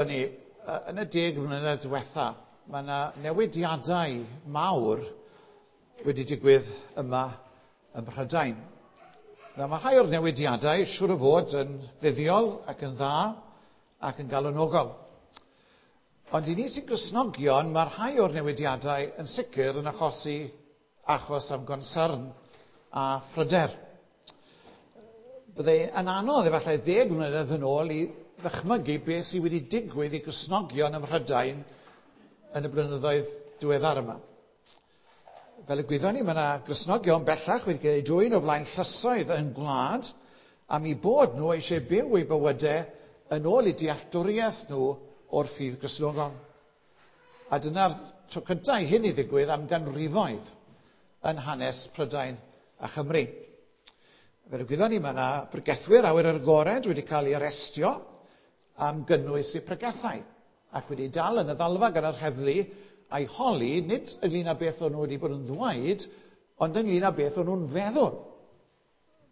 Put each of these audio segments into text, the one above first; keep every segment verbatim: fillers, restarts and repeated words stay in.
Ni, yn y deg mlynedd diwetha, mae yna newidiadau mawr wedi digwydd yma ym Mhrydain. Nawr, mae rhai o'r newidiadau siŵr o fod yn fuddiol ac yn dda ac yn galonogol. Ond i ni sy'n Gristnogion, mae rhai o'r newidiadau yn sicr yn achosi achos am gonsern a phryder. Byddai yn anodd efallai ddeg mlynedd yn ôl i ddychmygu beth sydd wedi digwydd i Gristnogion ym Mhrydain yn y blynyddoedd diweddar yma. Fel y gwyddon ni, mae yna Gristnogion bellach wedi cael eu dwyn o flaen llysoedd yn gwlad am eu bod nhw eisiau byw eu bywydau yn ôl eu dealltwriaeth nhw o'r ffydd Gristnogol. A dyna'r tro cyntaf i hyn i ddigwydd am ganrifoedd yn hanes Prydain a Chymru. Fel y gwyddon ni, mae yna bregethwyr awyr agored wedi cael eu arestio am gynnwys eu pregethau ac wedi dal yn y ddalfa gan yr heddlu a'i holi nid ynglyn â beth o'n nhw wedi bod yn ddweud, ond ynglyn â beth o'n nhw'n feddwl.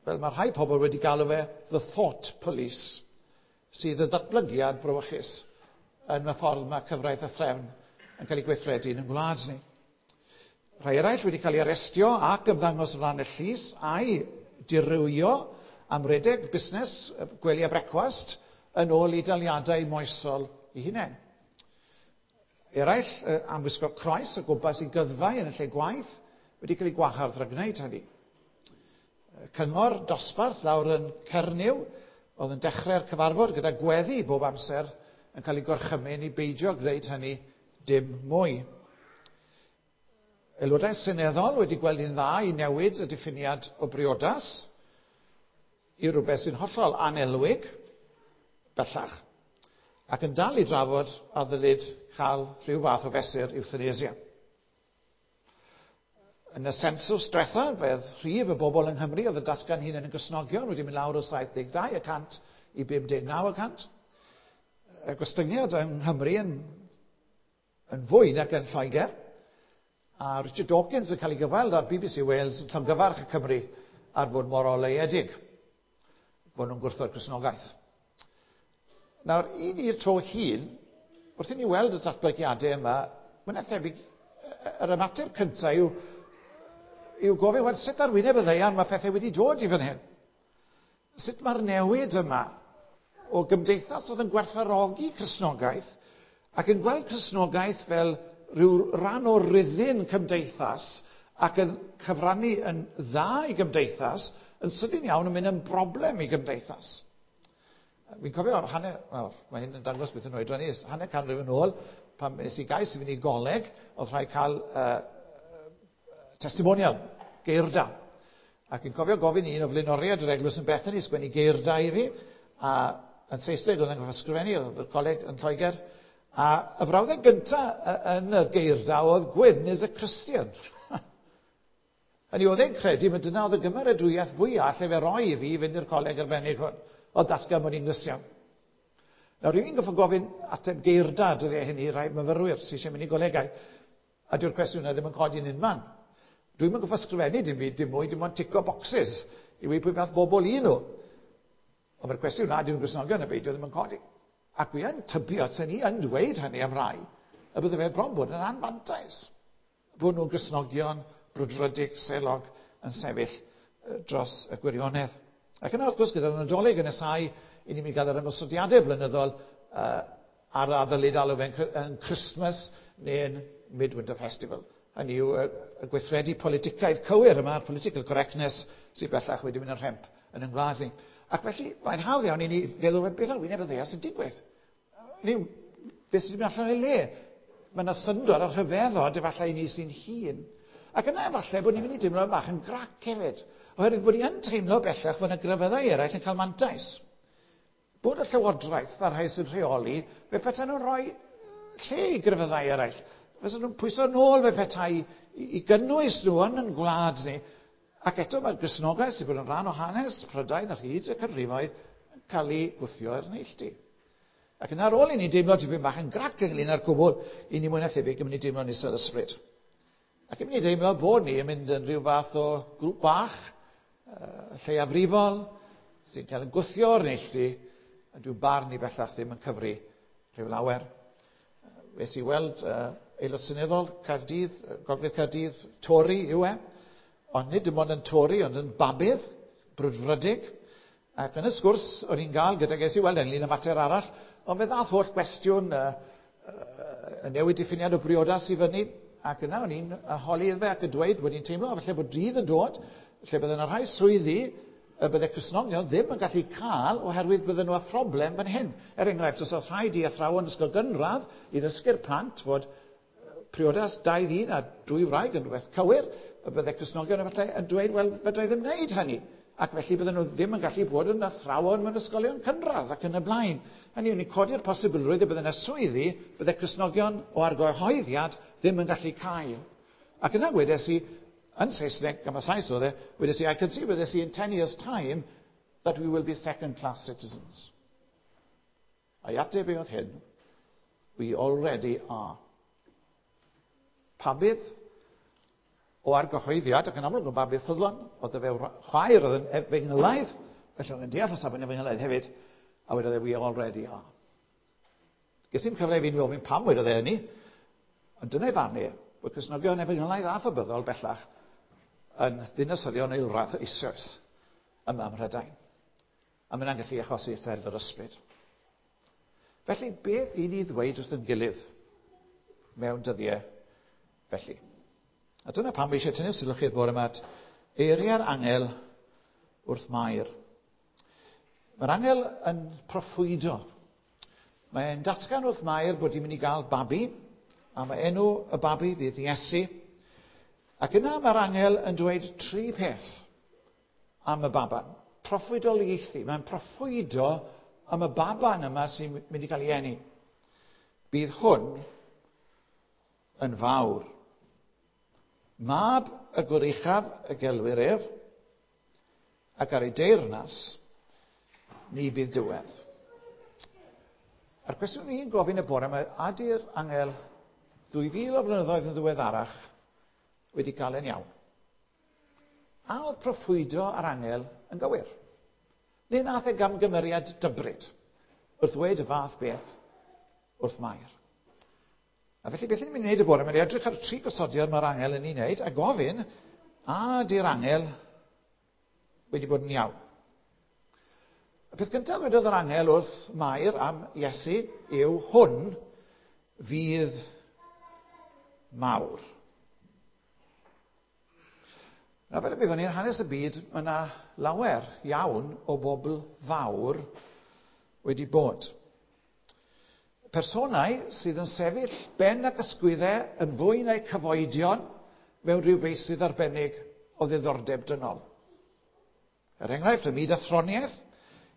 Fel mae rhai pobl wedi galw fe "the thought police", sydd yn datblygiad brawychus yn y ffordd mae cyfraith a threfn yn cael ei gweithredu yn y gwlad ni. Rhai eraill wedi cael ei arestio ac ymddangos o flaen y llys a'i dirywio am redeg busnes gwely a brecwast yn ôl i daliadau moesol eu hunain. Eraill am wisgo croes o gwmpas i gyddfau yn y lle gwaith wedi cael ei gwahardd rhag gwneud hynny. Cyngor dosbarth lawr yn Cernyw oedd yn dechrau'r cyfarfod gyda gweddi bob amser yn cael ei gorchymyn i beidio gwneud hynny dim mwy. Aelodau seneddol wedi gweld yn dda i newid y diffiniad o briodas i rhywbeth sy'n hollol anelwig bellach ac yn dal i drafod a ddylid cael rhyw fath o fesur euthanasia. Yn y sensws diwetha, fe rhif y bobl yng Nghymru oedd yn datgan hunain yn Gristnogion wedi mynd lawr o saith deg dau y cant i bum deg naw y cant. Y gostyngiad yng Nghymru yn, yn fwy nag yn Lloegr. A Richard Dawkins yn cael ei gyfweld ar B B C Wales yn llongyfarch y Cymru ar fod mor oleuedig bod nhw'n gwrthod Cristnogaeth. Nawr, i ni'r to hŷn, wrth i ni weld y datblygiadau yma, mae'n thebyg, yr ymateb cyntaf yw, yw gofyn, wel, sut ar wyneb y ddaear mae pethau wedi dod i fan hyn? Sut mae'r newid yma o gymdeithas oedd yn gwerthfawrogi Cristnogaeth ac yn gweld Cristnogaeth fel rhyw ran o ruddin cymdeithas ac yn cyfrannu yn dda i gymdeithas, yn sydyn iawn yn mynd yn broblem i gymdeithas? Fi'n cofio hanner, wel, mae hyn yn dangos beth yn oedran i, hanner canrif yn ôl, pan nes i gais i fynd i goleg, oedd rhaid cael uh, testimonial, geirda. Ac fi'n cofio gofyn i un o flaenoriaid yr eglwys yn Bethany sgwennu geirda i fi, a yn Saesneg oedd yn gorfod ysgrifennu, oedd y coleg yn Lloegr. A y frawddeg gyntaf yn y geirda oedd "Gwyn is a Christian". Hynny oedd e'n credu, mae dyna oedd y gymeradwyaeth fwyaf lle fe roi i fi i fynd i'r coleg arbennig hwn. O datgan bod ni'n Gristion. Nawr, rwy'n gorfod gofyn ateb geirda dyddiau hynny i rai myfyrwyr sydd eisiau mynd i golegau. A dyw'r cwestiwn yna ddim yn codi yn unman. Dwi'n mynd gorfod ysgrifennu dim byd, dim mwy, dim ond tico boxes i weud pwy fath bobl i nhw. Ond mae'r cwestiwn na, dyn nhw'n Gristnogion neu beidio, ddim yn codi. Ac fi yn tybio, sy'n ni yn dweud hynny am rai, y bydde fe bron bod yn anfantais. Bod nhw'n Gristnogion brwdfrydig, selog yn sefyll dros y gwirionedd. Ac yna, wrth gwrs, gyda'r Nadolig yn nesau, i ni'n mynd gael yr ymosodiadau blynyddol uh, ar a ddylid alw fe'n yn Christmas neu'n Midwinter Festival. Hynny yw y, y gweithredu politicaidd cywir yma, political correctness, sydd bellach wedi mynd yn rhemp yn ein gwlad ni. Ac felly, mae'n hawdd iawn i ni feddwl beth ar wyneb y ddaear sy'n digwydd. Ni, beth sy'n mynd allan o'i le? Mae yna syndod a rhyfeddod efallai i ni sy'n hŷn. Ac yna efallai bod ni'n mynd i deimlo bach yn grac hefyd. Oherwydd bod ni yn teimlo bellach bod yna grefyddau eraill yn cael mantais. Bod y llywodraeth a'r rhai sy'n rheoli, fe petai nhw'n rhoi lle i grefyddau eraill. Fysa nhw'n pwyso nôl fe petai i, i gynnwys nhw yn yn gwlad ni. Ac eto mae'r Gristnogaeth sydd bod yn rhan o hanes Prydain ar hyd y canrifoedd yn cael ei gwthio i'r neilltu. Ac yna ar ôl i ni deimlo tipyn bach yn grac ynglyn â'r cwbl, i ni mwy na thebyg yn mynd i deimlo'n isel ysbryd. Ac yn mynd i deimlo bod ni yn mynd yn rhyw fath o grŵp bach, uh, lleiafrifol, sy'n cael yn gwthio o'r neilltu, a dyw'n barn ni bellach ddim yn cyfri Rhyw lawer. Wnes i weld uh, aelod seneddol Caerdydd, Gogledd Caerdydd, Tory yw e. Ond nid dim ond yn Tory, ond yn Babydd, brwdfrydig. Ac yn y sgwrs o'n i'n gael gyda ges i weld ynglyn â mater arall, ond fe ddath holl gwestiwn uh, uh, y newid diffiniad o briodas i fyny, ac yna o'n i'n holi iddo fe ac yn dweud bod i'n teimlo falle bod dydd yn dod, lle bydde yna rhai swyddi y bydde Cristnogion ddim yn gallu cael oherwydd bydden nhw â phroblem fan hyn. Er enghraifft, os oedd rhaid i athrawon ysgol gynradd i ddysgu'r plant fod priodas dau ddyn a dwy wraig yn rhywbeth cywir, y bydde Cristnogion efallai yn dweud, wel, fedra i ddim wneud hynny. Ac felly bydden nhw ddim yn gallu bod yn athrawon mewn ysgolion cynradd ac yn y blaen. Hynny yw, ni'n codi'r posibilrwydd y bydde yna swyddi, bydde Cristnogion o argyhoeddiad ddim yn gallu cael. Ac yna wedes i, yn Saesneg, am y Sais oedd e, wedes i, I can see, wedes i, in ten years time, that we will be second class citizens. A'i ateb e oedd hyn, we already are. Pabydd o argyhoeddiad, ac yn amlwg yn babydd ffyddlon, oedd e fe chwaer oedd yn efengylaidd, felly oedd yn deall y safon efengylaidd hefyd, a wedodd e, we already are. Ges i'n cyfle i fi'n ofyn pam wedodd e hynny, ond dyna'i farn e, bod Cristnogion efengylaidd a phabyddol bellach yn ddinasyddion eilradd eisoes yma ym Mhrydain. A mae hynna'n gallu achosi etel yr ysbryd. Felly, beth i ni ddweud wrth yn gilydd mewn dyddiau felly? A dyna pam fi eisiau tynnu sylw chi'r bore yma at eiriau'r angel wrth Mair. Mae'r angel yn proffwydo. Mae'n datgan wrth Mair bod hi'n mynd i gael babi, a mae enw y babi fydd Iesu. Ac yna mae'r angel yn dweud tri peth am y baban. Proffwydoliaethu. Mae'n proffwydo am y baban yma sy'n mynd i gael ei eni. Bydd hwn yn fawr. Mab y Goruchaf y gelwir ef, ac ar ei deyrnas, ni bydd diwedd. A'r cwestiwn ni'n gofyn y bore yma, ydy'r angel ddwy fil o flynyddoedd yn ddiweddarach wedi cael e'n iawn? A oedd proffwydo ar angel yn gywir? Neu nath e gamgymeriad dybryd wrth ddweud y fath beth wrth Mair? A felly beth ni'n mynd i wneud y bore, mae'n edrych ar y tri gosodiad mae'r angel yn ei wneud a gofyn, a di'r angel wedi bod yn iawn? Y peth gyntaf wedodd yr angel wrth Mair am Iesu yw hwn fydd mawr. Nawr, fel y byddwn ni'n hanes y byd, mae yna lawer iawn o bobl fawr wedi bod. Personau sydd yn sefyll ben ac ysgwyddau yn fwy na'u cyfoedion mewn rhyw feysydd arbennig o ddiddordeb dynol. Er enghraifft, ym myd athroniaeth,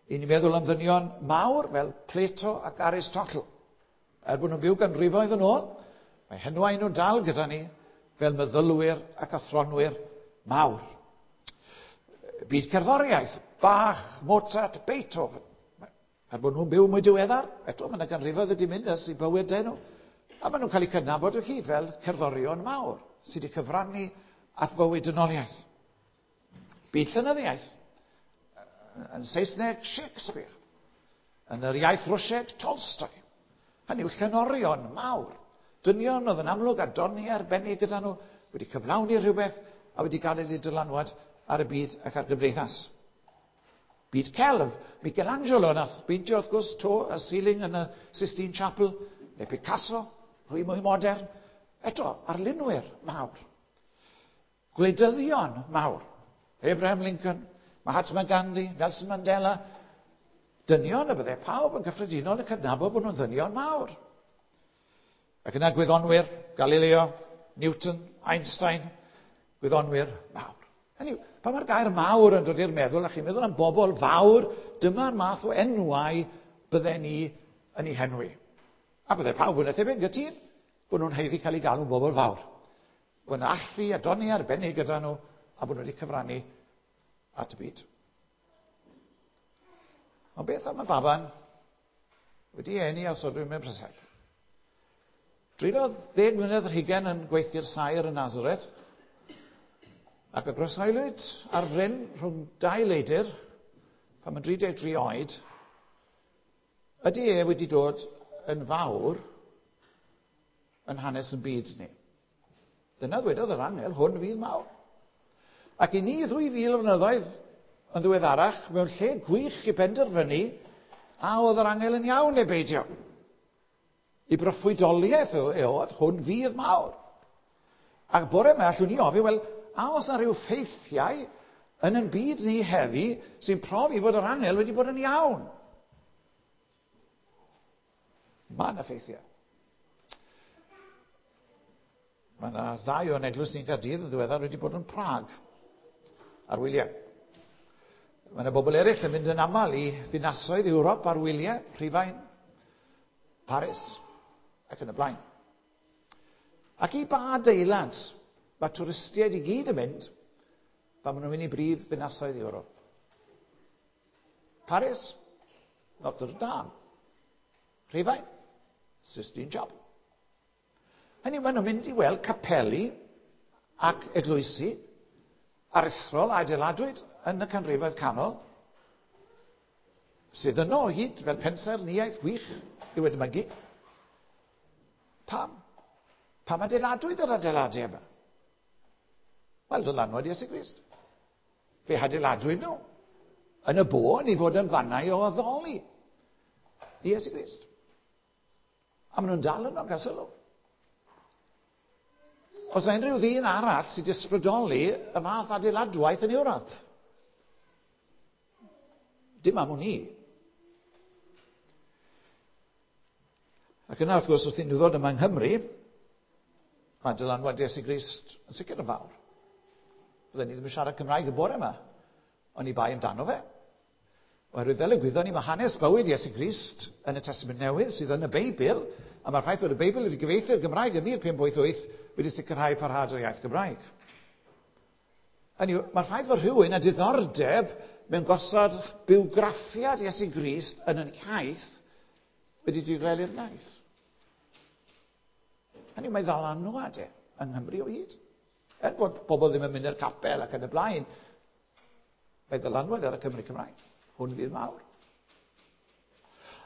i ni'n meddwl am ddynion mawr fel Plato ac Aristotle. Er bod nhw'n byw ganrifoedd yn ôl, mae henwau nhw'n dal gyda ni fel meddylwyr ac athronwyr mawr. Byd cerddoriaeth, Bach, Mozart, Beethoven. Er bod nhw'n byw mwy diweddar, eto mae yna ganrifoedd wedi mynd ers i bywydau nhw. A maen nhw'n cael eu cydnabod o hyd fel cerddorion mawr sydd wedi cyfrannu at fywyd dynoliaeth. Byd llenyddiaeth, yn Saesneg Shakespeare, yn yr iaith Rwsieg Tolstoy. Hynny yw llenorion mawr. Dynion oedd yn amlwg a doniau arbennig gyda nhw, wedi cyflawni rhywbeth a wedi gael eu dylanwad ar y byd ac ar gymdeithas. Byd celf, Michelangelo nath beintio wrth gwrs to y ceiling yn y Sistine Chapel, neu Picasso, rhwy mwy modern. Eto, arlunwyr mawr. Gwleidyddion mawr. Abraham Lincoln, Mahatma Gandhi, Nelson Mandela. Dynion y bydde pawb yn gyffredinol yn cydnabod bod nhw'n ddynion mawr. Ac yna gwyddonwyr, Galileo, Newton, Einstein, gwyddonwyr mawr. Hynny yw, pan mae'r gair mawr yn dod i'r meddwl, a chi'n meddwl am bobl fawr, dyma'r math o enwau bydden ni yn ei henwi. A bydde pawb yn eithaf yn gytûn bod nhw'n haeddu cael eu galw'n bobl fawr. Bod yna allu a doni arbennig gyda nhw, a bod nhw wedi cyfrannu at y byd. Ond beth am y baban wedi eni a sodwyd mewn preseb? Dreuliodd ddeg mlynedd ar hugain yn gweithio'r saer yn Nazareth, ac y groeshoelwyd ar fryn rhwng dau leidr, pan mae'n dri deg tri oed, ydy e wedi dod yn fawr yn hanes yn byd ni. Dyna ddwedodd yr angel, hwn fydd mawr. Ac i ni ddwy fil o flynyddoedd yn ddiweddarach, mewn lle gwych i benderfynu a oedd yr angel yn iawn neu beidio. I broffwydoliaeth oedd hwn fydd mawr. Ac bore yma allwn ni ofyn, wel, a oes 'na rhyw ffeithiau yn ein byd ni heddi sy'n profi fod yr angel wedi bod yn iawn? Mae yna ffeithiau. Mae yna ddau o'n eglwys ni'n Caerdydd yn ddiweddar wedi bod yn Prag ar wyliau. Mae yna bobl eraill yn mynd yn aml i ddinasoedd Ewrop ar wyliau, Rhufain, Paris ac yn y blaen. Ac i ba adeilad mae twristiaid i gyd yn mynd pan maen nhw'n mynd i brif ddinasoedd Ewrop? Paris, Notre Dame. Rhufain, Sistine Chapel. Hynny, maen nhw'n mynd i weld capeli ac eglwysi aruthrol a adeiladwyd yn y canrifoedd canol, sydd yno o hyd fel pensaernïaeth gwych i'w edmygu. Pam? Pam adeiladwyd yr adeiladau yma? Wel, dylanwad Iesu Grist. Fe adeiladwyd nhw yn y bôn i fod yn fannau o addoli Iesu Grist. A maen nhw'n dal yno, gael sylw. Oes yna unrhyw ddyn arall sydd wedi ysbrydoli y fath adeiladwaith yn Ewrop? Dim am wn i. Ac yna, wrth gwrs, wrth i ni ddod yma yng Nghymru, mae dylanwad Iesu Grist yn sicr yn fawr. Fydden ni ddim yn siarad Cymraeg y bore yma, ond i bai amdano fe. Oherwydd fel y gwyddon ni, mae hanes bywyd Iesu Grist yn y Testament Newydd sydd yn y Beibl, a mae'r ffaith bod y Beibl wedi gyfieithu'r Gymraeg yn mil pump wyth wyth wedi sicrhau parhad o'r iaith Gymraeg. Hynny yw, mae'r ffaith fod rhywun â diddordeb mewn gosod bywgraffiad Iesu Grist yn yn iaith wedi diogelu'r iaith. Hynny yw, mae ddylanwad e yng Nghymru o hyd. Er bod pobl ddim yn mynd i'r capel ac yn y blaen, mae ddylanwad ar y Cymru Cymraeg. Hwn fydd mawr.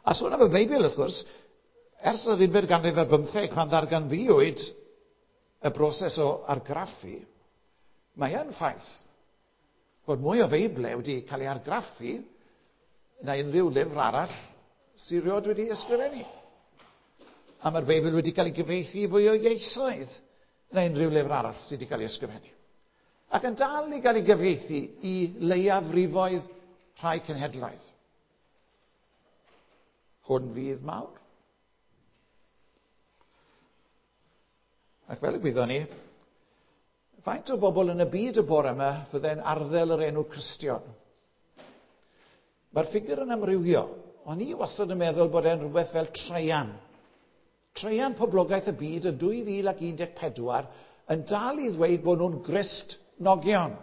A sôn am y Beibl, wrth gwrs, ers yr unfed ganrif ar bymtheg, pan ddarganfuwyd y broses o argraffu, mae yn ffaith bod mwy o Feiblau wedi cael ei argraffu na unrhyw lyfr arall sydd rioed wedi ysgrifennu. A mae'r Beibl wedi cael ei gyfieithu i fwy o ieithoedd na unrhyw lyfr arall sydd wedi cael ei ysgrifennu. Ac yn dal i gael ei gyfieithu i leiafrifoedd rhai cenhedlaeth. Hwn fydd mawr. Ac fel y gwyddon ni, faint o bobl yn y byd y bore yma fydde'n arddel yr enw Cristion? Mae'r ffigur yn amrywio. O'n i wastad yn meddwl bod e'n rhywbeth fel traean. Traean poblogaeth y byd yn dwy fil ac un deg pedwar yn dal i ddweud bod nhw'n Gristnogion.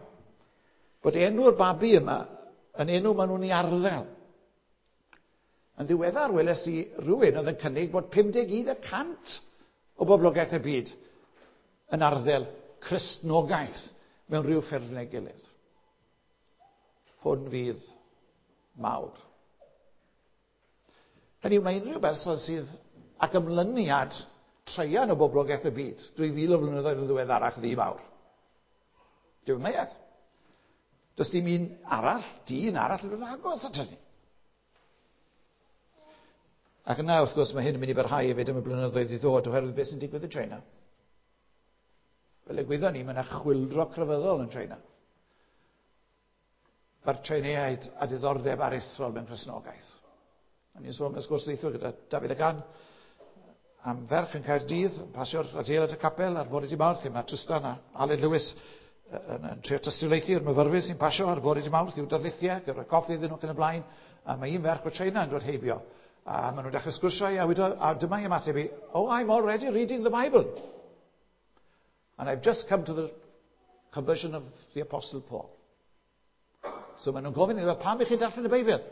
Bod enw'r babi yma yn enw maen nhw'n ei arddel. Yn ddiweddar weles i rhywun oedd yn cynnig bod pum deg un y cant o boblogaeth y byd yn arddel Cristnogaeth mewn rhyw ffurf neu gilydd. Hwn fydd mawr. Hynny yw, mae unrhyw berson sydd ag ymlyniad traean o boblogaeth y byd, dwy fil o flynyddoedd yn ddiweddarach ddi mawr. Dyw meiaeth. Does dim un arall, dyn arall yn agos at hynny. Ac yna, wrth gwrs, mae hyn yn mynd i barhau hefyd am y blynyddoedd i ddod oherwydd beth sy'n digwydd yn China. Fel y gwyddon ni, mae yna chwyldro crefyddol yn China. Mae'r Chineiaid a diddordeb aruthrol mewn Cristnogaeth. A ni'n sôn mewn sgwrs neithiwr gyda Dafydd y Gan am ferch yn Caerdydd, yn pasio'r adeilad y capel ar fore dydd Mawrth, lle mae Tristan a Aled Lewis yn, yn trio tystiolaethu'r myfyrwyr sy'n pasio ar fore dydd Mawrth i'w darlithiau, gyda'r coffi iddyn nhw ac yn y blaen, a mae un ferch o China yn dod heibio. A maen nhw'n dechrau sgwrsio i, a, wedodd, a dyma i ymateb i, oh, I'm already reading the Bible. And I've just come to the conversion of the Apostle Paul. So maen nhw'n gofyn iddo, pam i chi darllen y Beibl?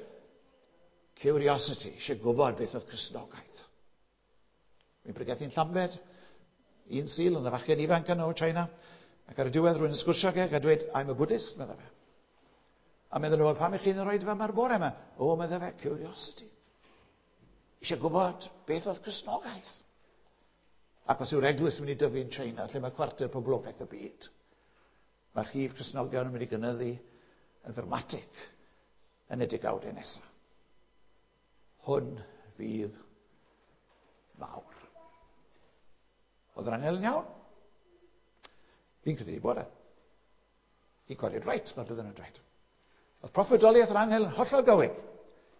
Curiosity, eisiau gwybod beth oedd Cristnogaeth. Mi'n pregethu'n Llambed, un Sul yn y fachgen ifanc yno o China, ac ar y diwedd rwy'n sgwrsio ag a dweud, I'm a Buddhist, medda fe. A meddwl nhw, pam i chi'n rhoi fe yma'r bore yma? O, medda fe, curiosity. Eisiau gwybod beth oedd Cristnogaeth. Ac os yw'r eglwys yn mynd i dyfu yn China, lle mae cwarter poblogaeth y byd, mae'r rhif Cristnogion yn mynd i gynyddu yn ddramatig yn y degawdau nesaf. Hwn fydd mawr. Oedd yr angel yn iawn? Fi'n credu bod e. He got it right, mae'r byddwn yn dweud. Oedd proffwydoliaeth yr angel yn hollol gywir.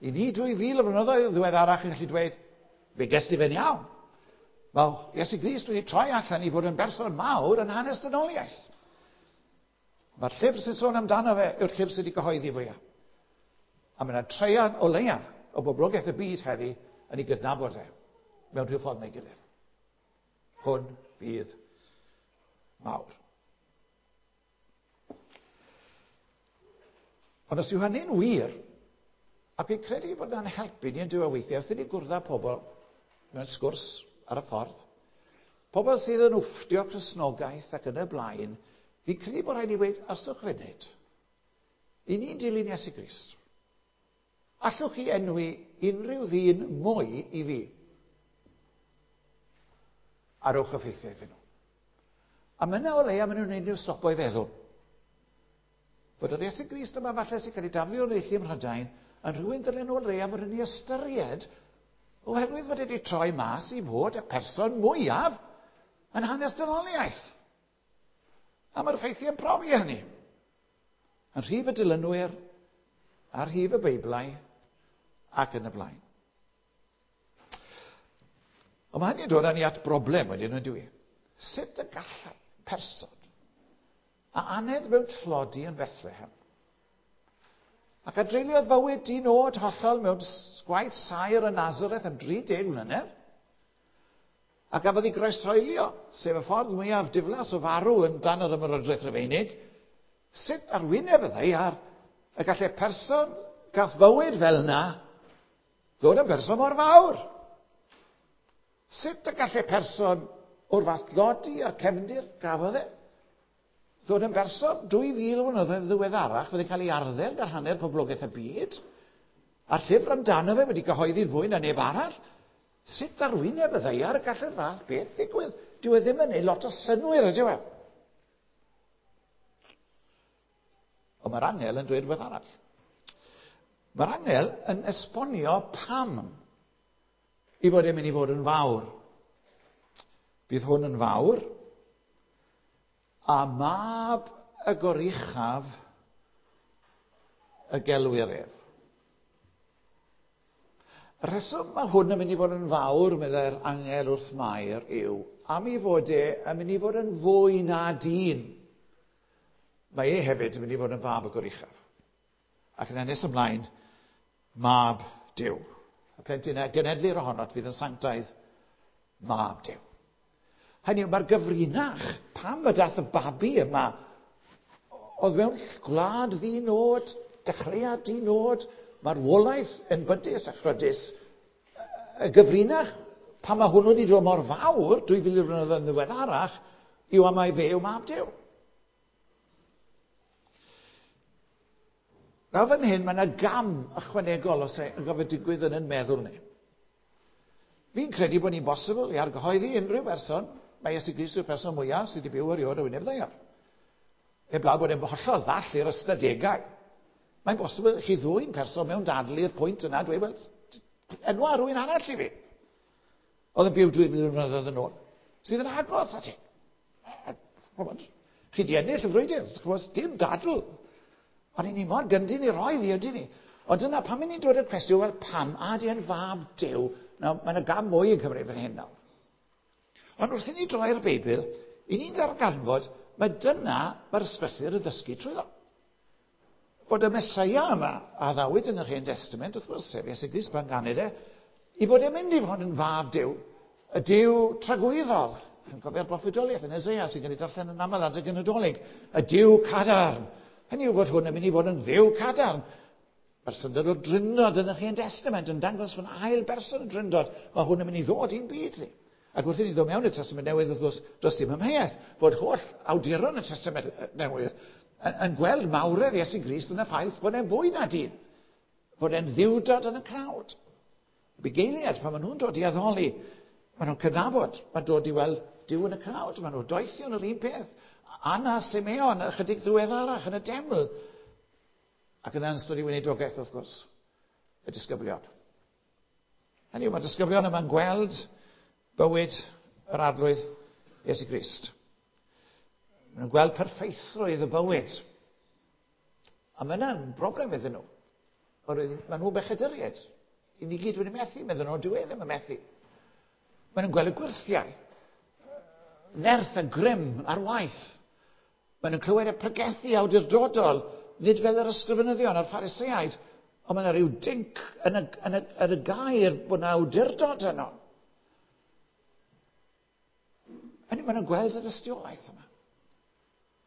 I ni dwy fil o flynyddoedd ddiweddarach yn gallu dweud, fe ges di fe'n iawn. Mae Iesu Grist wedi troi allan i fod yn berson mawr yn hanes dynoliaeth. Mae'r llyfr sy'n sôn amdano fe yw'r llyfr sydd wedi gyhoeddi fwyaf. A mae yna treian o leia o boblogaeth y byd heddi yn ei gydnabod e mewn rhyw ffordd neu gilydd. Hwn fydd mawr. Ond os yw hynny'n wir, ac fi'n credu bod yna'n helpu ni yn diwedd weithiau, wrth i ni gwrdd â pobl mewn sgwrs ar y ffordd, pobl sydd yn wfftio Cristnogaeth ac yn y blaen, fi'n credu bod rhaid i weud, arswch funud, i ni'n dilyn Iesu Grist, allwch chi enwi unrhyw ddyn mwy i fi? A rowch y ffeithiau iddyn nhw. A mae yna o leia maen nhw'n gwneud nhw stopo i feddwl. Fod yr Iesu Grist yma falle sy'n cael ei daflu o'r neilltu ym Mhrydain yn rhywun ddylen nhw o leia fod yn ei ystyried oherwydd fod wedi troi mas i fod y person mwyaf yn hanes dynoliaeth. A mae'r ffeithiau'n profi hynny. Yn rhif y dilynwyr, a'r rhif y Beiblau, ac yn y blaen. Ond mae hynny'n dod â ni at broblem wedyn, yn dyw i? Sut y gallai person a aned mewn tlodi yn Bethlehem ac a dreuliodd fywyd di-nod hollol mewn gwaith saer yn Nazareth am dri deg mlynedd a gafodd ei groeshoelio, sef y ffordd mwyaf diflas o farw yn dan yr Ymerodraeth Rufeinig, sut ar wyneb y ddaear y gallai person gath fywyd fel yna ddod yn berson mor fawr? Sut y gallai person o'r fath dlodi a'r cefndir gafodd e ddod yn berson dwy fil o flynyddoedd ddiweddarach fydde'n cael ei arddel gan hanner poblogaeth y byd, a'r llyfr amdano fe wedi gyhoeddi'n fwy na neb arall? Sut ar wyneb y ddaear y gallai'r fath beth ddigwydd? Dyw e ddim yn neud lot o synnwyr, ydyw e? Ond mae'r angel yn dweud rhywbeth arall. Mae'r angel yn esbonio pam i fod e'n mynd i fod yn fawr. Bydd hwn yn fawr, a mab y goruchaf y gelwir ef. Y rheswm mae hwn yn mynd i fod yn fawr, meddai'r angel wrth Mair, yw am ei fod e yn mynd i fod yn fwy na dyn. Mae e hefyd yn mynd i fod yn fab y goruchaf. Ac yn nes ymlaen, mab Duw. Y plentyn a genedlir ohonot fydd yn sanctaidd, mab Duw. Hynny yw, mae'r gyfrinach, pam y dath y babi yma, oedd mewn gwlad ddinod, dechreuad dinod, marwolaeth enbydus a chrydus, y gyfrinach, pam mae hwnnw wedi dod mor fawr, dwy fil o flynyddoedd yn ddiweddarach, yw am mai fe yw mab Duw. Nawr fan hyn, mae yna gam ychwanegol os yn gofio digwydd yn ein meddwl ni. Fi'n credu bod ni'n bosibl i argyhoeddi unrhyw berson, mae Iesu Grist yw'r person mwyaf sydd wedi byw erioed o wyneb ddaear. Heblaw bod e'n hollol ddall i'r ystadegau. Mae'n bosibl i chi ddwyn person mewn dadl i'r pwynt yna, dweud, wel, enwa rhywun arall i fi. Oedd yn byw dwy fil o flynyddoedd yn ôl. Sydd yn agos at ti. Chi di ennill y frwydr, ch'mod, dim dadl. Ond i ni mor gyndyn i roi ddi, ydyn ni. Ond dyna pam i ni'n dod i'r cwestiwn, wel, pam a di yn fab Duw? Nawr, mae yna gam mwy yn cymryd fan hyn nawr. Ond wrth i ni droi'r Beibl, i ni'n darganfod, mae dyna mae'r ysgrythur yn ddysgu trwyddo. Fod y Meseia yma, a addawyd yn yr Hen Testament, wrth gwrs, sef Iesu Grist pan ganed e, i fod e'n mynd i fod yn fab Duw, y Duw tragwyddol. Chi'n cofio'r broffwydoliaeth yn Eseia sy'n cael ei darllen yn aml adeg y Nadolig, y Duw cadarn. Hynny yw fod hwn yn mynd i fod yn Dduw cadarn. Mae'r syndod o Drindod yn yr Hen Testament yn dangos fan ail berson y Drindod. Mae hwn yn mynd i ddod i'n byd ni. Ac wrth i ni ddod mewn i'r Testament Newydd, wrth gwrs, does dim amheuaeth fod holl awduron y Testament Newydd yn, yn gweld mawredd Iesu Grist yn y ffaith bod e'n fwy na dyn. Bod e'n ddiwdod yn y cnawd. Y bugeiliaid, pan maen nhw'n dod i addoli, maen nhw'n cydnabod, maen dod i weld Duw yn y cnawd, maen nhw'n doethion yr un peth. Anna Simeon, ychydig ddiweddarach yn y deml. Ac yna yn ystod i weinidogaeth, wrth gwrs, y disgyblion. Hynny yw, mae'r disgyblion yma'n gweld bywyd yr Arglwydd Iesu Grist. Maen nhw'n gweld perffeithrwydd y bywyd. A mae yna'n broblem iddyn nhw. Oherwydd maen nhw'n bechaduriaid. I ni gyd wedi methu, meddyn nhw, dyw e ddim yn methu. Maen nhw'n gweld y gwyrthiau. Nerth a grym ar waith. Maen nhw'n clywed y pregethu awdurdodol, nid fel yr ysgrifenyddion a'r Phariseaid, ond mae yna rhyw dinc yn y, yn y, yn y gair bod yna awdurdod yno. Hynny, maen nhw'n gweld y dystiolaeth yma.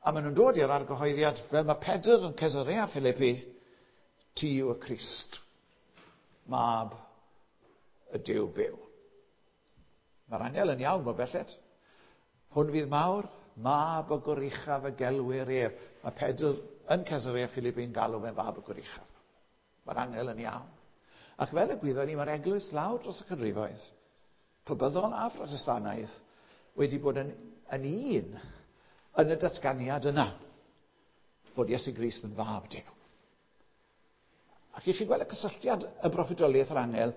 A maen nhw'n dod i'r argyhoeddiad fel mae Pedr yn Caesarea Philippi, ti yw y Crist, mab y Duw byw. Mae'r angel yn iawn mor belled. Hwn fydd mawr, mab y goruchaf y gelwir ef. Mae Pedr yn Caesarea Philippi'n galw fe'n fab y goruchaf. Mae'r angel yn iawn. Ac fel y gwyddon ni, mae'r eglwys lawr dros y canrifoedd, Pabyddol a Phrotestanaidd, wedi bod yn, yn un yn y datganiad yna, bod Iesu Grist yn fab Duw. Ac i chi gweld y cysylltiad y broffwydoliaeth yr angel,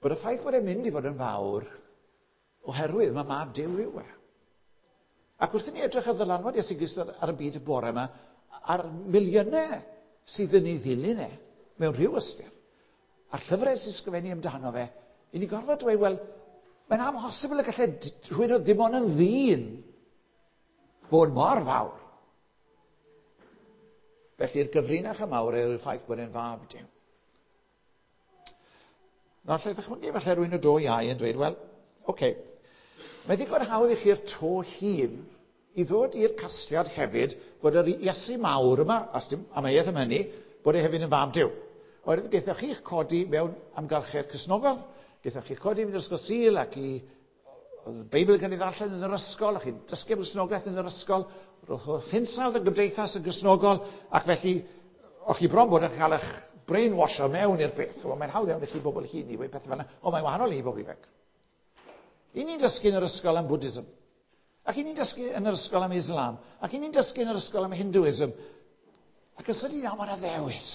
bod y ffaith bod e'n mynd i fod yn fawr, oherwydd mae mab Duw yw e. Ac wrth i ni edrych ar ddylanwad Iesu Grist ar, ar y byd y bore yma, a'r miliynau sydd yn ei ddilyn e, mewn rhyw ystyr, a'r llyfrau sy'n sgrifennu amdano fe, i ni gorfod dweud, wel, mae'n amhosibl y gallai rhywun oedd dim ond yn ddyn fod mor fawr. Felly'r gyfrinach y mawr yw'r ffaith bod e'n fab Duw. Nawr, allai ddychmygu falle rhywun o do iau yn dweud, wel, oce, okay, mae ddigon hawdd i chi'r to hun i ddod i'r casgliad hefyd bod yr Iesu mawr yma, as dim amheuaeth am hynny, bod e hefyd yn fab Duw. Oherwydd gaethoch chi'ch codi mewn amgylchedd Cristnogol, gaethoch chi'ch codi mewn ysgol Sul ac i oedd y Beibl yn cael ei ddarllen yn yr ysgol, a chi'n dysgu am Gristnogaeth yn yr ysgol, roedd hinsawdd y gymdeithas yn Gristnogol, ac felly, o'ch chi bron bod yn cael eich brainwasho mewn i'r peth. Wel, mae'n hawdd iawn i chi bobl hŷn i weud pethau fel yna, ond mae'n wahanol i bobl ifanc. I ni'n dysgu yn yr ysgol am Buddhism, ac i ni'n dysgu yn yr ysgol am Islam, ac i ni'n dysgu yn yr ysgol am Hinduism, ac yn sydyn iawn mae'n ddewis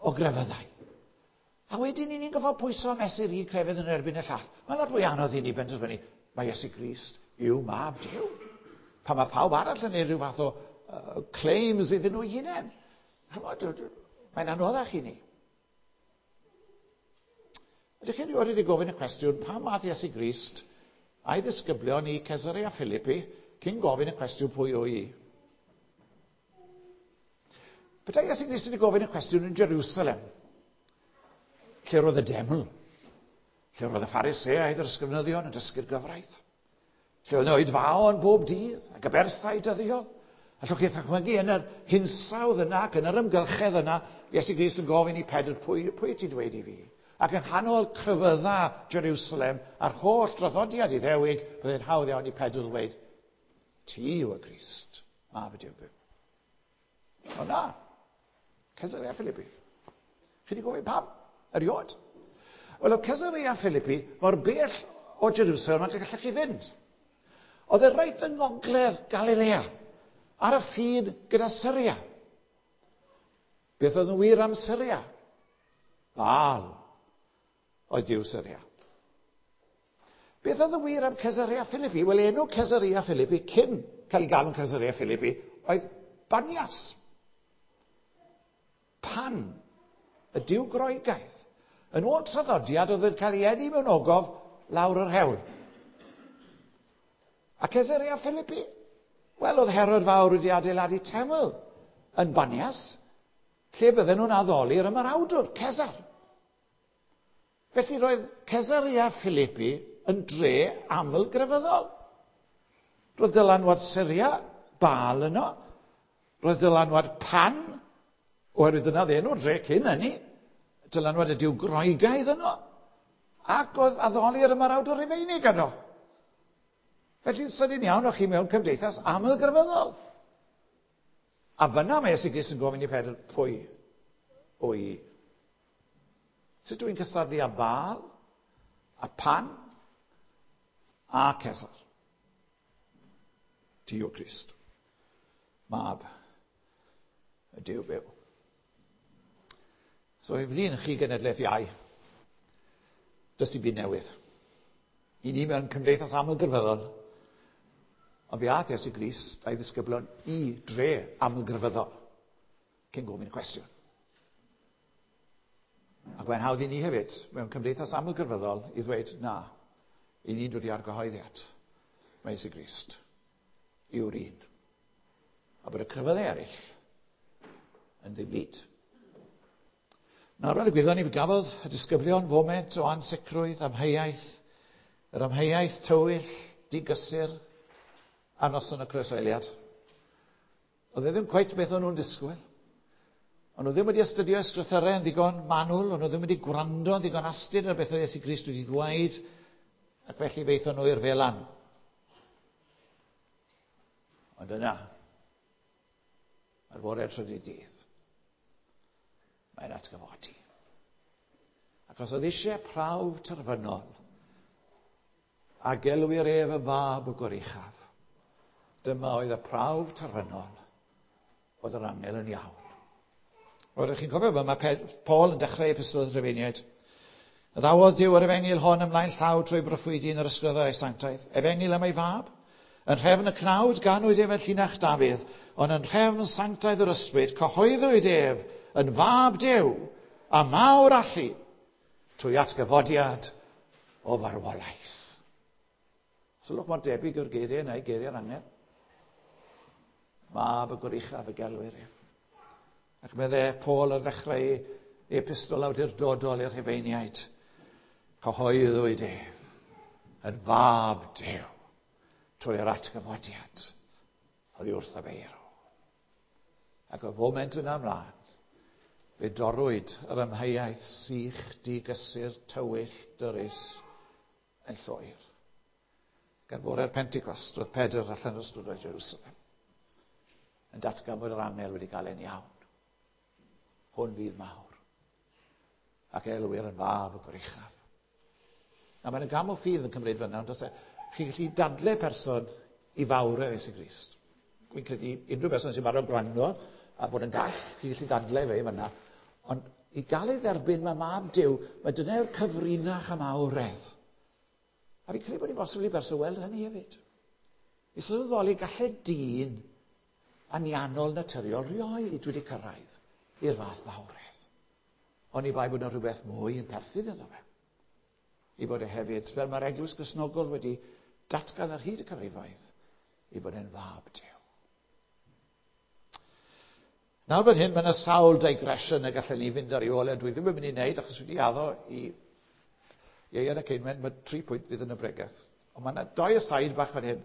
o grefyddau. A wedyn i ni'n gorfod pwyso a mesur un crefydd yn erbyn y llall. Mae'n lot fwy anodd i ni benderfynu, mae Iesu Grist yw mab Duw. Pan mae pawb arall yn neud rhyw fath o uh, claims iddyn nhw hunain. Mae'n anoddach i ni. Ydych chi'n rioed wedi gofyn y cwestiwn, pam ath Iesu Grist a'i ddisgyblion i Caesarea Philippi cyn gofyn y cwestiwn pwy o i? Petai Iesu Grist wedi gofyn y cwestiwn yn Jerusalem, lle roedd y deml, lle roedd y Phariseaid yr ysgrifenyddion yn dysgu'r gyfraith, lle oedd oedfaon bob dydd ac aberthau dyddiol. Allwch chi ddychmygu yn yr hinsawdd yna ac yn yr ymgylchedd yna, Iesu Grist yn gofyn i Pedr, pwy, pwy ti'n dweud i fi? Ac yng nghanol crefydda Jerusalem a'r holl draddodiad Iddewig, byddai'n hawdd iawn i Pedr ddweud, ti yw y Crist, mab y Duw byw. O na, Caesarea Philippi. Chi wedi gofyn pam? Erioed. Wel, oedd Caesarea Philippi mor bell o Jerusalem ac y gallech chi fynd. Oedd e reit yng ngogledd Galilea, ar y ffin gyda Syria. Beth oedd yn wir am Syria? Baal oedd Duw Syria. Beth oedd yn wir am Caesarea Philippi? Wel, enw Caesarea Philippi, cyn cael ei galw'n Caesarea Philippi, oedd Banias. Pan, y Duw Groegaidd. Yn ôl traddodiad, oedd yn cael ei eni mewn ogof lawr yr hewl. A Caesarea Philippi? Wel, oedd Herod Fawr wedi adeiladu teml yn Banias, lle bydden nhw'n addoli'r ymerawdwr, Cesar. Felly roedd Caesarea Philippi yn dre aml grefyddol. Roedd dylanwad Syria, Baal yno. Roedd dylanwad Pan, oherwydd dyna oedd enw'r dre cyn hynny, dylanwad y Duw Groegaidd yno, ac oedd addoli'r ymerawdwr Rufeinig yno. Felly, sydyn iawn o'ch chi mewn cymdeithas aml grefyddol. A fyna mae Iesu Grist yn gofyn i Pedr, pwy o i? Sut dwi'n cystadlu â Baal, a Pan, a Cesar? Ti yw Crist, mab y Duw byw. So i flin chi genedlaeth iau, does dim byd newydd. I ni mewn cymdeithas amlgrefyddol, ond fe aeth Iesu Grist a'i ddisgyblion i dre amlgrefyddol cyn gofyn y cwestiwn. Ac mae'n hawdd i ni hefyd, mewn cymdeithas amlgrefyddol, i ddweud, na, i ni'n dod i argyhoeddiad. Mae Iesu Grist yw'r un. A bod y crefyddau eraill yn ddim byd. Nawr, fel y gwyddon ni, fe gafodd y disgyblion foment o ansicrwydd, amheuaeth, yr amheuaeth tywyll, digysur, a noson y croeshoeliad. Oedd e ddim cweit beth o'n nhw'n disgwyl. Ond nhw ddim wedi astudio ysgrythurau yn ddigon manwl, ond nhw ddim wedi gwrando yn ddigon astud ar beth oedd Iesu Grist wedi ddweud, ac felly fe aethon nhw i'r felan. Ond yna, ar fore'r trydydd dydd, mae'n atgyfodi. Ac os oedd eisiau prawf terfynol, a gelwir ef y fab y Goruchaf, dyma oedd y prawf terfynol bod yr angel yn iawn. Oeddech chi'n cofio fe, mae Paul yn dechrau epistol y Rhufeiniaid. Addawodd Duw yr efengyl hon ymlaen llaw trwy broffwydi yn yr ysgrythurau sanctaidd. Efengyl am ei fab. Yn nhrefn y cnawd ganwyd ef yn llinach Dafydd, ond yn nhrefn sanctaidd yr ysbryd cyhoeddwyd ef yn fab Duw a mawr allu trwy atgyfodiad o farwolaeth. Sylwch mor debyg yw'r geiriau yna i geiriau'r angel. Mab y Goruchaf y gelwir ef. Ac meddai Paul ar ddechrau ei epistol awdurdodol i'r Rhufeiniaid. Cyhoeddwyd ef yn fab Duw trwy'r atgyfodiad oddi wrth y meirw. Ac o foment yna ymlaen, fe dorrwyd yr amheuaeth sych, digysur, tywyll, dyrys yn llwyr. Gan fore'r Pentecost, roedd Pedr allan o strydoedd Jerusalem yn datgan bod yr angel wedi cael e'n iawn. Hwn fydd mawr. Ac elwir yn fab y Goruchaf. Na, mae'n gam o ffydd yn cymryd fyna, ond os e, chi'n gallu dadle person i fawredd Iesu Grist. Dwi'n credu unrhyw person sy'n barod gwrando a bod yn gall, chi'n gallu dadle fe fyna. Ond i gael ei dderbyn mae mab Duw, mae dyna yw'r cyfrinach am awredd. A fi'n credu bod hi'n bosibl i berson weld hynny hefyd. I sylweddoli gallai dyn anianol naturiol rioed wedi cyrraedd i'r fath fawredd. Ond i bai bod yna rhywbeth mwy yn perthyn iddo fe. I bod e hefyd, fel mae'r Eglwys Gristnogol wedi datgan ar hyd y canrifoedd, i bod e'n fab Duw. Nawr fan hyn, mae yna sawl digression y gallen ni fynd ar ei ôl e. Dwi ddim yn mynd i wneud, achos wedi addo i Ieuan y Ceinwen, mae tri pwynt fydd yn y bregeth. Ond mae yna doi aside bach fan hyn.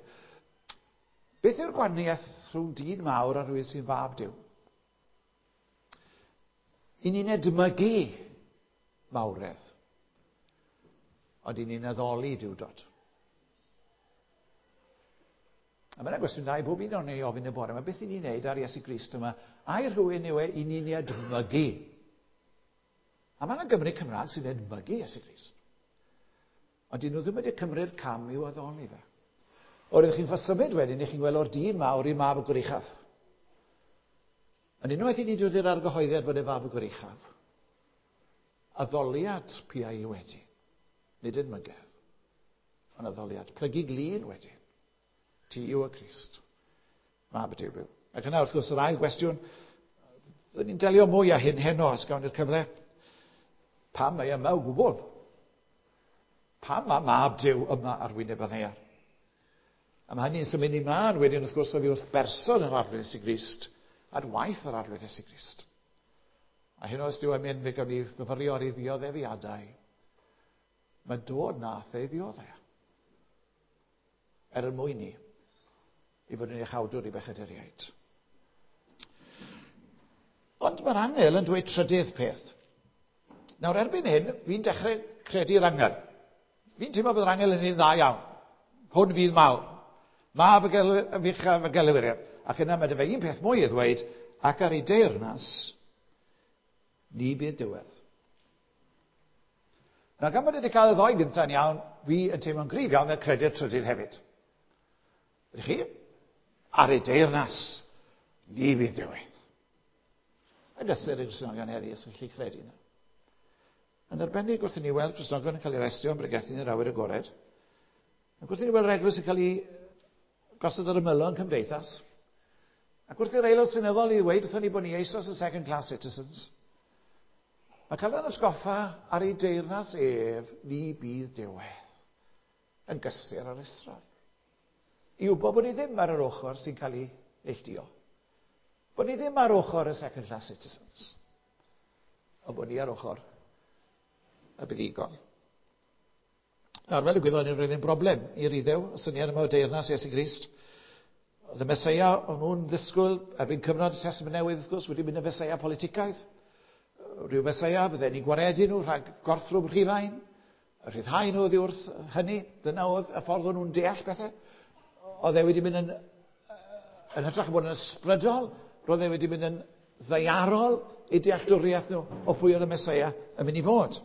Beth yw'r gwahaniaeth rhwng dyn mawr a rhywun sy'n fab Duw? I ni'n edmygu mawredd, ond i ni'n addoli Duwdod. A mae'n gwestiwn da i bob un o'n ei ofyn y bore yma, beth i ni'n neud ar Iesu Grist yma? Ai rhywun yw e i ni'n ei edmygu? A mae yna Gymry Cymraeg sy'n edmygu Iesu Grist. Ond dyn nhw ddim wedi cymryd cam i'w addoli fe. O'r ydych chi'n symud wedyn, chi'n gweld o'r dyn mawr i'r mab y Goruchaf. Ond unwaith i ni dod i'r argyhoeddiad fod e fab y Goruchaf, addoliad piau i wedi, nid edmygedd, ond addoliad. Plygu glin wedyn. Ti yw y Crist, mab y Duw byw. Ac yna, wrth gwrs, yr ail gwestiwn, byddwn ni'n delio mwy â hyn heno, os gawn ni'r cyfle. Pam mae yma o gwbl? Pam mae mab Duw yma ar wyneb y ddaear? A mae hynny'n symud ni mlaen wedyn, wrth gwrs, oddi wrth berson yr Arglwydd Iesu Grist, at waith yr Arglwydd Iesu Grist. A hyn os Duw am mynd, fe gawn ni fyfyrio ar ei ddioddefiadau. Mae dod nath ei ddioddef. Er y mwyn ni, i fod yn iachawdwr i bechaduriaid. Ond mae'r angel yn dweud trydydd peth. Nawr, erbyn hyn, fi'n dechrau credu'r angel. Fi'n teimlo bod yr angel yn un dda iawn. Hwn fydd mawr. Mab y fuchaf y gelwir ef. Ac yna mae dy fe un peth mwy i ddweud, ac ar ei deyrnas, ni bydd diwedd. Nawr, gan bod wedi cael y ddoi gyntaf yn iawn, fi yn teimlo'n gryf iawn fel credu'r trydydd hefyd. Ydych chi? Ar ei deyrnas, ni fydd diwedd. A gysur y Gristnogion heddi sy'n gallu credu yna. Yn arbennig wrth i ni weld Cristnogion yn cael ei arestio am bregethu yn yr awyr agored, ac wrth i ni weld yr eglwys yn cael ei gosod ar ymylon cymdeithas, ac wrth i'r aelod seneddol i ddweud wrthon ni bod ni eisoes yn second class citizens, mae cael yn atgoffa ar ei deyrnas ef, ni bydd diwedd, yn gysur ar Israel. I wybod bod ni ddim ar yr ochr sy'n cael ei neilltuo. Bod ni ddim ar ochr y second class citizens. Ond bod ni ar ochr y buddugol. Nawr, fel y gwyddon ni, roedd yn broblem i'r Iddew, y syniad yma o deyrnas Iesu Grist. Oedd y Meseia, o'n nhw'n ddisgwyl, erbyn cyfnod y Testament Newydd, wrth gwrs, wedi mynd yn Feseia politicaidd. Rhyw Feseia, fydden ni'n gwaredu nhw rhag gorthrwm Rhufain, rhyddhau nhw oddi wrth hynny. Dyna oedd y ffordd o'n nhw'n deall pethau. Oedd e wedi mynd yn, yn hytrach bod yn ysbrydol, roedd e wedi mynd yn ddaearol i dealltwriaeth nhw o pwy oedd y Meseia yn mynd i fod.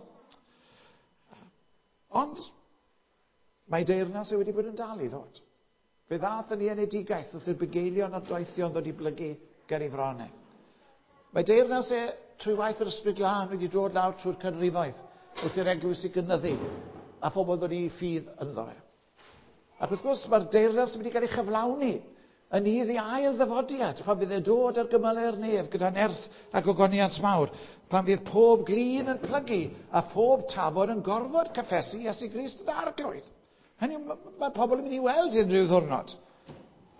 Ond mae deyrnas e wedi bod yn dal i ddod. Fe ddath yn ei enedigaeth wrth i'r bugeilion a'r doethion ddod i blygu ger ei fronau. Mae deyrnas e trwy waith yr Ysbryd Glân wedi dod lawr trwy'r canrifoedd wrth i'r eglwys i gynyddu a phobl ddod i ffydd ynddo fe. Ac wrth gwrs mae'r deyrnas yn mynd i gael ei chyflawni yn nydd ei ail ddyfodiad, pan fydd e'n dod ar gymylau'r nef gyda nerth a gogoniant mawr, pan fydd pob glin yn plygu a phob tafod yn gorfod cyffesu Iesu Grist yn arglwydd. Hynny, mae pobl yn mynd i weld unrhyw ddwrnod.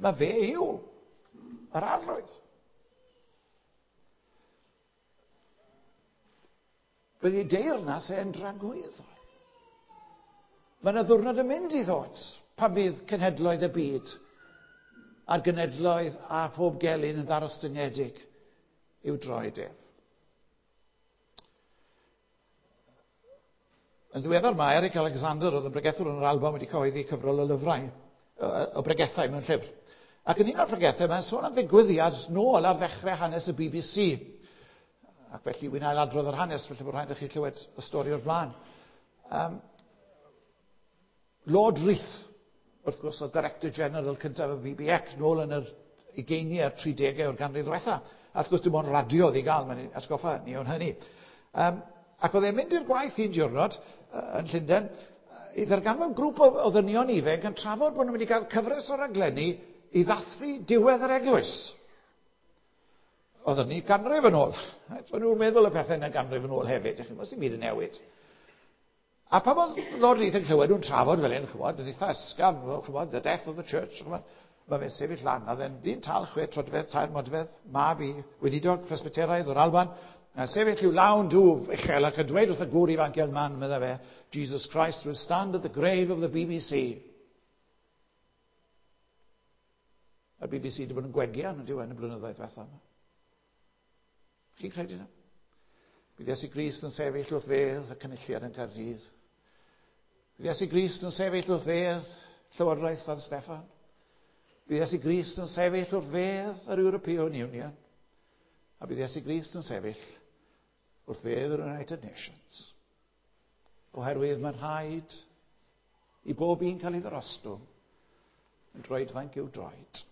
Mae fe yw yr arglwydd. Bydd ei deyrnas e'n dragwyddol. Mae yna ddwrnod yn mynd i ddod pan fydd cenhedloedd y byd a'r genedloedd a phob gelyn yn ddarostyngedig i'w droed ef. Yn ddiweddar mae Eric Alexander, oedd yn bregethwr yn yr Alban, wedi cyhoeddi cyfrol o lyfrau, o bregethau mewn llyfr. Ac yn un o'r pregethau, mae'n sôn am ddigwyddiad nôl ar ddechrau hanes y B B C. Ac felly wy'n ailadrodd yr hanes, felly bod rhaid i chi clywed y stori o'r blaen. Um, Lord Reith, wrth gwrs, oedd Director General cyntaf y B B C, nôl yn yr ugeiniau a'r tridegau o'r ganrif ddiwetha. A wrth gwrs, dim ond radio oedd i gael, mae'n atgoffa ni o'n hynny. Um, ac oedd e'n mynd i'r gwaith un diwrnod uh, yn Llundain, i ddarganfod grŵp o, o ddynion ifanc yn trafod bod nhw'n mynd i gael cyfres o raglenni i ddathlu diwedd yr eglwys. Oedd hynny ganrif yn ôl. O'n nhw'n meddwl y pethau yna ganrif yn ôl hefyd. Chi'n byd yn newid. A pan oedd Lord Reith yn clywed nhw'n trafod fel hyn, chymod, yn eitha ysgafn, chymod, the death of the church, chymod, mae fe'n sefyll lan, a fe'n ddyn tal, chwe troedfedd, tair modfedd, mab i weinidog Presbyteraidd o'r Alban, a sefyll i'w lawn dwf uchel ac yn dweud wrth y gŵr ifanc i'r man, medda fe, Jesus Christ will stand at the grave of the B B C. A'r B B C wedi bod yn gwegian yn diwedd y blynyddoedd diwethaf yma. Chi'n credu yna? Bydd Iesu Grist yn sefyll wrth fedd y cynulliad yn Caerdydd. Bydd Iesu Grist yn sefyll wrth fedd Llywodraeth San Steffan. Bydd Iesu Grist yn sefyll wrth fedd yr European Union. A bydd Iesu Grist yn sefyll wrth fedd yr United Nations. Oherwydd mae'n rhaid i bob un cael ei ddyrostwng yn droedfainc i'w droed.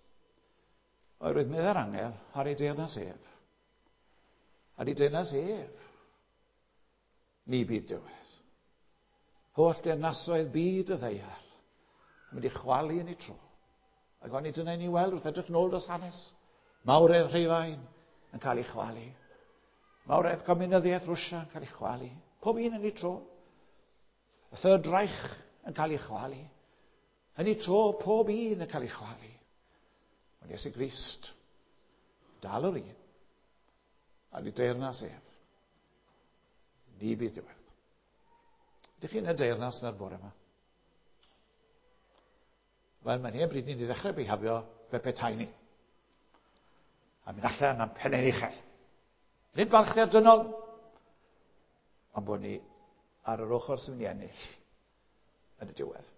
Oherwydd meddai'r angel ar ei deyrnas ef. Ar ei deyrnas ef, ni bydd diwedd. Holl deyrnasoedd byd y ddaear yn mynd i chwalu yn ei tro. Ac oni dyna i ni weld wrth edrych nôl dros hanes. Mawredd Rhufain yn cael ei chwalu. Mawredd Comunyddiaeth Rwsia yn cael ei chwalu. Pob un yn ei tro. Y Third Reich yn cael ei chwalu. Yn ei tro, pob un yn cael ei chwalu. Ond Iesu Grist, dal yr un, a ni deyrnas ef. Ni bydd diwedd. Ydych chi'n y deyrnas yna'r bore yma? Wel, mae'n hen bryd ni'n i ddechrau bihafio fe petai ni. A mynd allan am pennau'n uchel. Nid balchder dynol, ond bod ni ar yr ochr sy'n mynd i ennill yn y diwedd.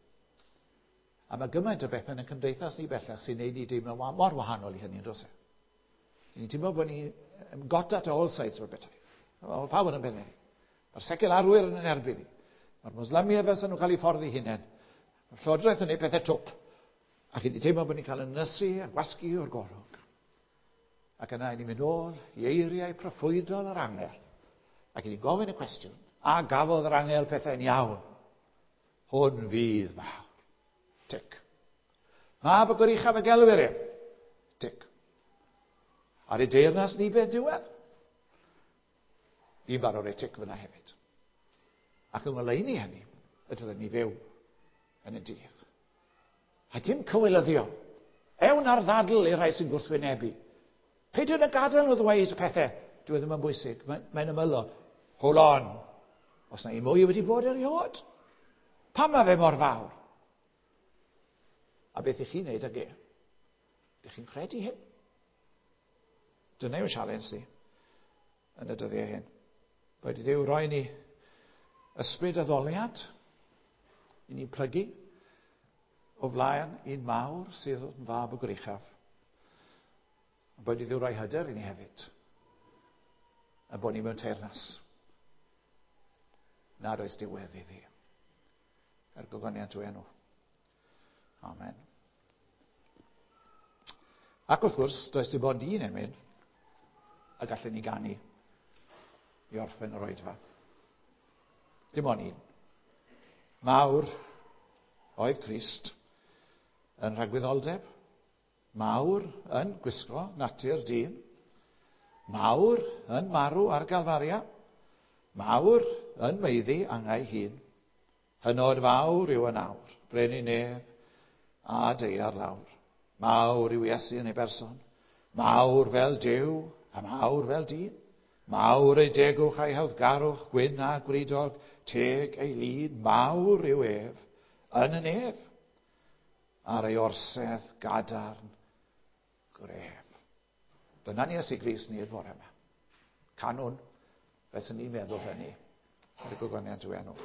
A mae gymaint o bethau yn y cymdeithas ni bellach sy'n neud ni deimlo mor wahanol i hynny, yn does e? Ni'n teimlo bod ni got at all sides o'r bethau. Mae pawb yn yn pennau. Mae'r secularwyr yn yn erbyn ni. Mae'r Mwslemiaid fel nhw'n cael eu ffordd eu hunain. Mae'r Llywodraeth yn gwneud pethau twp. Ac i ni teimlo bod ni'n cael ynysu a gwasgu o'r golwg. Ac yna i ni'n mynd ôl i eiriau proffwydol yr angel. Ac i ni'n gofyn y cwestiwn, a gafodd yr angel pethau'n iawn? Hwn fydd mawr. Tic. Mab y Goruchaf y gelwir ef. Tic. Ar ei deyrnas ni beth diwedd? Fi'n barod rhoi tic fyna hefyd. Ac yng ngoleuni hynny, y dylen ni fyw yn y dydd. A dim cywilyddio. Ewn ar ddadl i'r rhai sy'n gwrthwynebu. Peidio na gadael nhw ddweud pethau. Dyw e ddim yn bwysig. Mae'n mae ymylol. Hold on. Os na i mwy wedi bod erioed. Pam mae fe mor fawr? A beth i chi'n neud ag e? Ydych chi'n credu hyn? Dyna yw'n sialens ni yn y dyddiau hyn. Boed i Dduw roi ni ysbryd addoliad i ni'n plygu o flaen un mawr sydd yn fab y Goruchaf. Boed i Dduw roi hyder i ni hefyd. A bod ni mewn teyrnas. Nad oes diwedd iddi. Er gogoniant i'w enw. Amen. Ac wrth gwrs, does dim ond un emyn y gallen ni ganu i orffen yr oedfa. Dim ond un. Mawr oedd Crist yn rhagwyddoldeb. Mawr yn gwisgo natur dyn. Mawr yn marw ar Galfaria. Mawr yn maeddu angau hun. Hynod fawr yw yn awr, brenin nef a daear lawr. Mawr yw Iesu yn ei berson. Mawr fel Duw a mawr fel dyn. Mawr ei degwch a'i hawddgarwch, gwyn a gwridog, teg ei lun. Mawr yw ef yn y nef ar ei orsedd gadarn gref. Dyna ni Iesu Grist ni'r bore yma. Canwn, beth ni'n meddwl hynny, ar y gogoniant i'w enw.